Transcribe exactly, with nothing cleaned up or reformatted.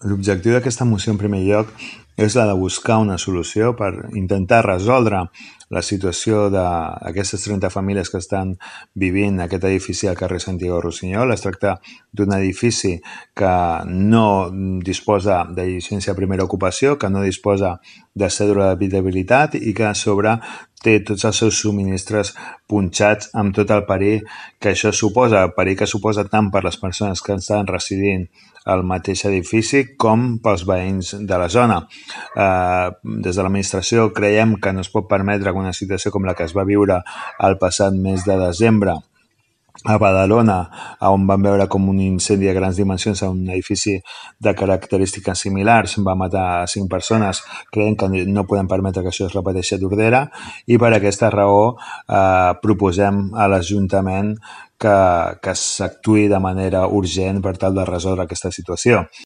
L'objectiu d'aquesta moció, en primer lloc, és la de buscar una solució per intentar resoldre la situació d'aquestes trenta famílies que estan vivint en aquest edifici al carrer Santiago Rusiñol. Es tracta d'un edifici que no disposa de llicència de primera ocupació, que no disposa de cèdula d'habitabilitat i que a sobre té tots els seus subministres punxats amb tot el perill que això suposa, el perill que suposa tant per les persones que estan residint al mateix edifici com pels veïns de la zona. Eh, des de l'administració creiem que no es pot permetre que una situació com la que es va viure el passat mes de desembre a Badalona, on vam veure com un incendi de grans dimensions a un edifici de característiques similars va matar cinc persones, creiem que no podem permetre que això es repeteixi a Tordera i per aquesta raó eh, proposem a l'Ajuntament que, que s'actuï de manera urgent per tal de resoldre aquesta situació.